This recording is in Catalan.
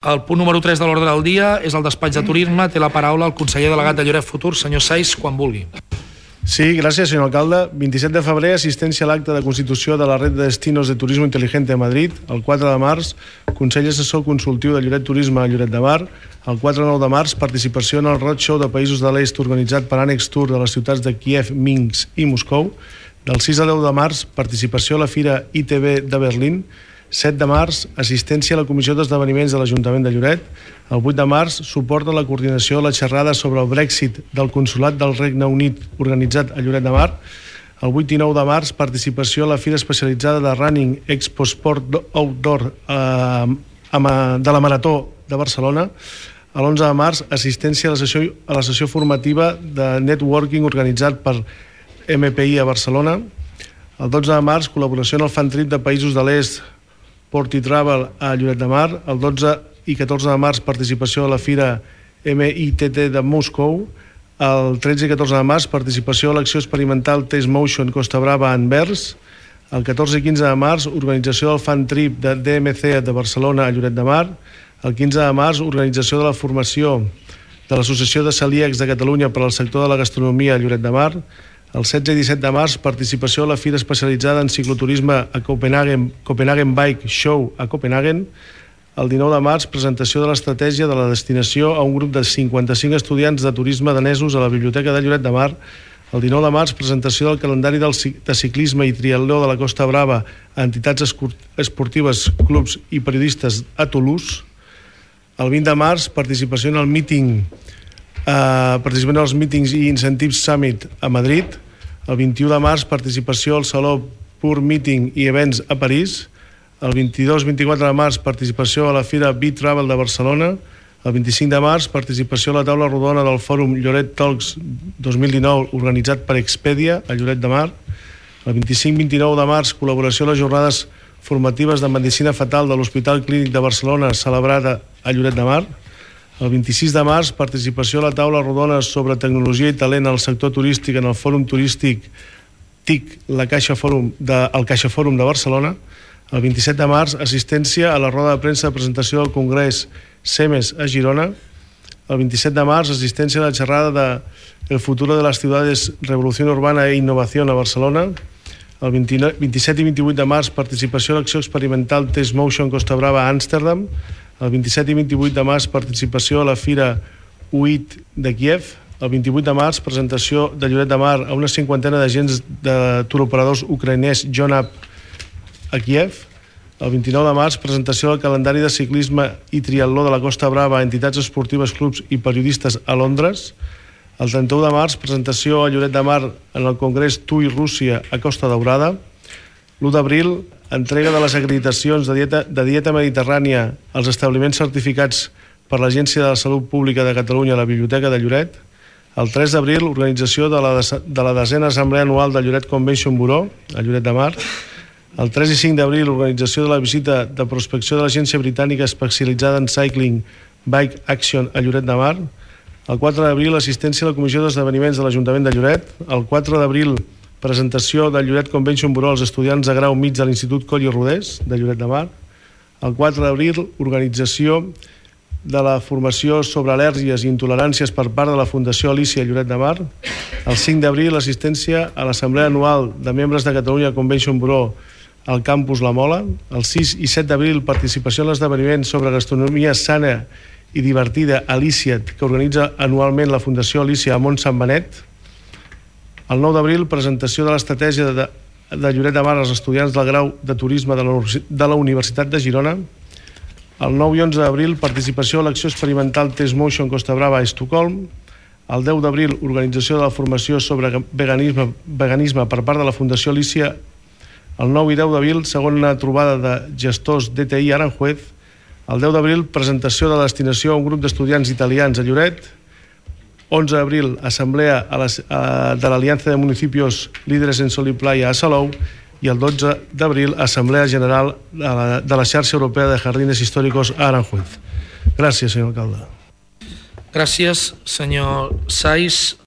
El punt número 3 de l'ordre del dia és el despatx de turisme. Té la paraula el conseller delegat de Lloret Futur, senyor Saiz, quan vulgui. Sí, gràcies, senyor alcalde. 27 de febrer, assistència a l'acte de constitució de la Red de Destinos de Turismo Inteligente a Madrid. El 4 de març, Consell Assessor Consultiu de Lloret Turisme a Lloret de Mar. El 4-9 de març, participació en el Roadshow de Països de l'Est organitzat per Ànex Tour de les ciutats de Kíev, Minsk i Moscou. Del 6 al 10 de març, participació a la Fira ITB de Berlín. 7 de març, assistència a la Comissió d'Esdeveniments de l'Ajuntament de Lloret. El 8 de març, suport a la coordinació a la xerrada sobre el Brexit del Consolat del Regne Unit organitzat a Lloret de Mar. El 8 i 9 de març, participació a la Fira Especialitzada de Running Expo Sport Outdoor de la Marató de Barcelona. El 11 de març, assistència a la sessió formativa de networking organitzat per MPI a Barcelona. El 12 de març, col·laboració en el fan trip de Països de l'Est Port i Travel a Lloret de Mar. El 12 i 14 de març, participació a la Fira MITT de Moscou. El 13 i 14 de març, participació a l'acció experimental Test Motion Costa Brava a Anvers. El 14 i 15 de març, organització del fan trip de DMC de Barcelona a Lloret de Mar. El 15 de març, organització de la formació de l'Associació de Celíacs de Catalunya per al sector de la gastronomia a Lloret de Mar. El 16 i 17 de març, participació a la Fira Especialitzada en Cicloturisme a Copenhagen Bike Show a Copenhagen. El 19 de març, presentació de l'estratègia de la destinació a un grup de 55 estudiants de turisme danesos a la Biblioteca de Lloret de Mar. El 19 de març, presentació del calendari de ciclisme i triatló de la Costa Brava a entitats esportives, clubs i periodistes a Toulouse. El 20 de març, participació en el meeting participant als Meetings i Incentives Summit a Madrid. El 21 de març, participació al Saló Pur Meeting i Events a París. El 22-24 de març, participació a la Fira B-Travel de Barcelona. El 25 de març, participació a la taula rodona del Fòrum Lloret Talks 2019 organitzat per Expedia a Lloret de Mar. El 25-29 de març, col·laboració a les jornades formatives de Medicina Fetal de l'Hospital Clínic de Barcelona celebrada a Lloret de Mar. El 26 de març, participació a la taula rodona sobre tecnologia i talent al sector turístic en el Fòrum Turístic TIC, el Caixa Fòrum de Barcelona. El 27 de març, assistència a la roda de premsa de presentació del Congrés CEMES a Girona. El 27 de març, assistència a la xerrada de El futuro de las ciudades, revolución urbana e innovación a Barcelona. El 27 i 28 de març, participació a l'acció experimental Test Motion Costa Brava a Amsterdam. El 27 i 28 de març, participació a la Fira UIT de Kíev. El 28 de març, presentació de Lloret de Mar a una cinquantena d'agents de turoperadors ucraïnès John Up a Kíev. El 29 de març, presentació del calendari de ciclisme i triatló de la Costa Brava a entitats esportives, clubs i periodistes a Londres. El 31 de març, presentació a Lloret de Mar en el Congrés TUI Rússia a Costa Daurada. L'1 d'abril, entrega de les acreditacions de dieta mediterrània als establiments certificats per l'Agència de la Salut Pública de Catalunya a la Biblioteca de Lloret. El 3 d'abril, organització de la 10a Assemblea Anual de Lloret Convention Bureau a Lloret de Mar. El 3 i 5 d'abril, organització de la visita de prospecció de l'Agència Britànica especialitzada en Cycling Bike Action a Lloret de Mar. El 4 d'abril, assistència a la Comissió d'Esdeveniments de l'Ajuntament de Lloret. El 4 d'abril, presentació del Lloret Convention Bureau als estudiants de grau mig de l'Institut Coll i Rodés de Lloret de Mar. El 4 d'abril, organització de la formació sobre al·lèrgies i intoleràncies per part de la Fundació Alícia Lloret de Mar. El 5 d'abril, assistència a l'Assemblea Anual de Membres de Catalunya Convention Bureau al campus La Mola. El 6 i 7 d'abril, participació en l'esdeveniment sobre gastronomia sana i divertida Alícia, que organitza anualment la Fundació Alícia a Mont Sant Benet. El 9 d'abril, presentació de l'estratègia de Lloret de Mar als estudiants del grau de turisme de la Universitat de Girona. El 9 i 11 d'abril, participació a l'acció experimental Test Motion Costa Brava a Estocolm. El 10 d'abril, organització de la formació sobre veganisme per part de la Fundació Alícia. El 9 i 10 d'abril, segona trobada de gestors DTI Aranjuez. El 10 d'abril, presentació de la destinació a un grup d'estudiants italians a Lloret. 11 d'abril, assemblea de l'Aliança de Municipios Líderes en Sol i Playa a Salou. I el 12 d'abril, assemblea general de la xarxa europea de jardines históricos a Aranjuez. Gràcies, senyor alcalde. Gràcies, senyor Saiz.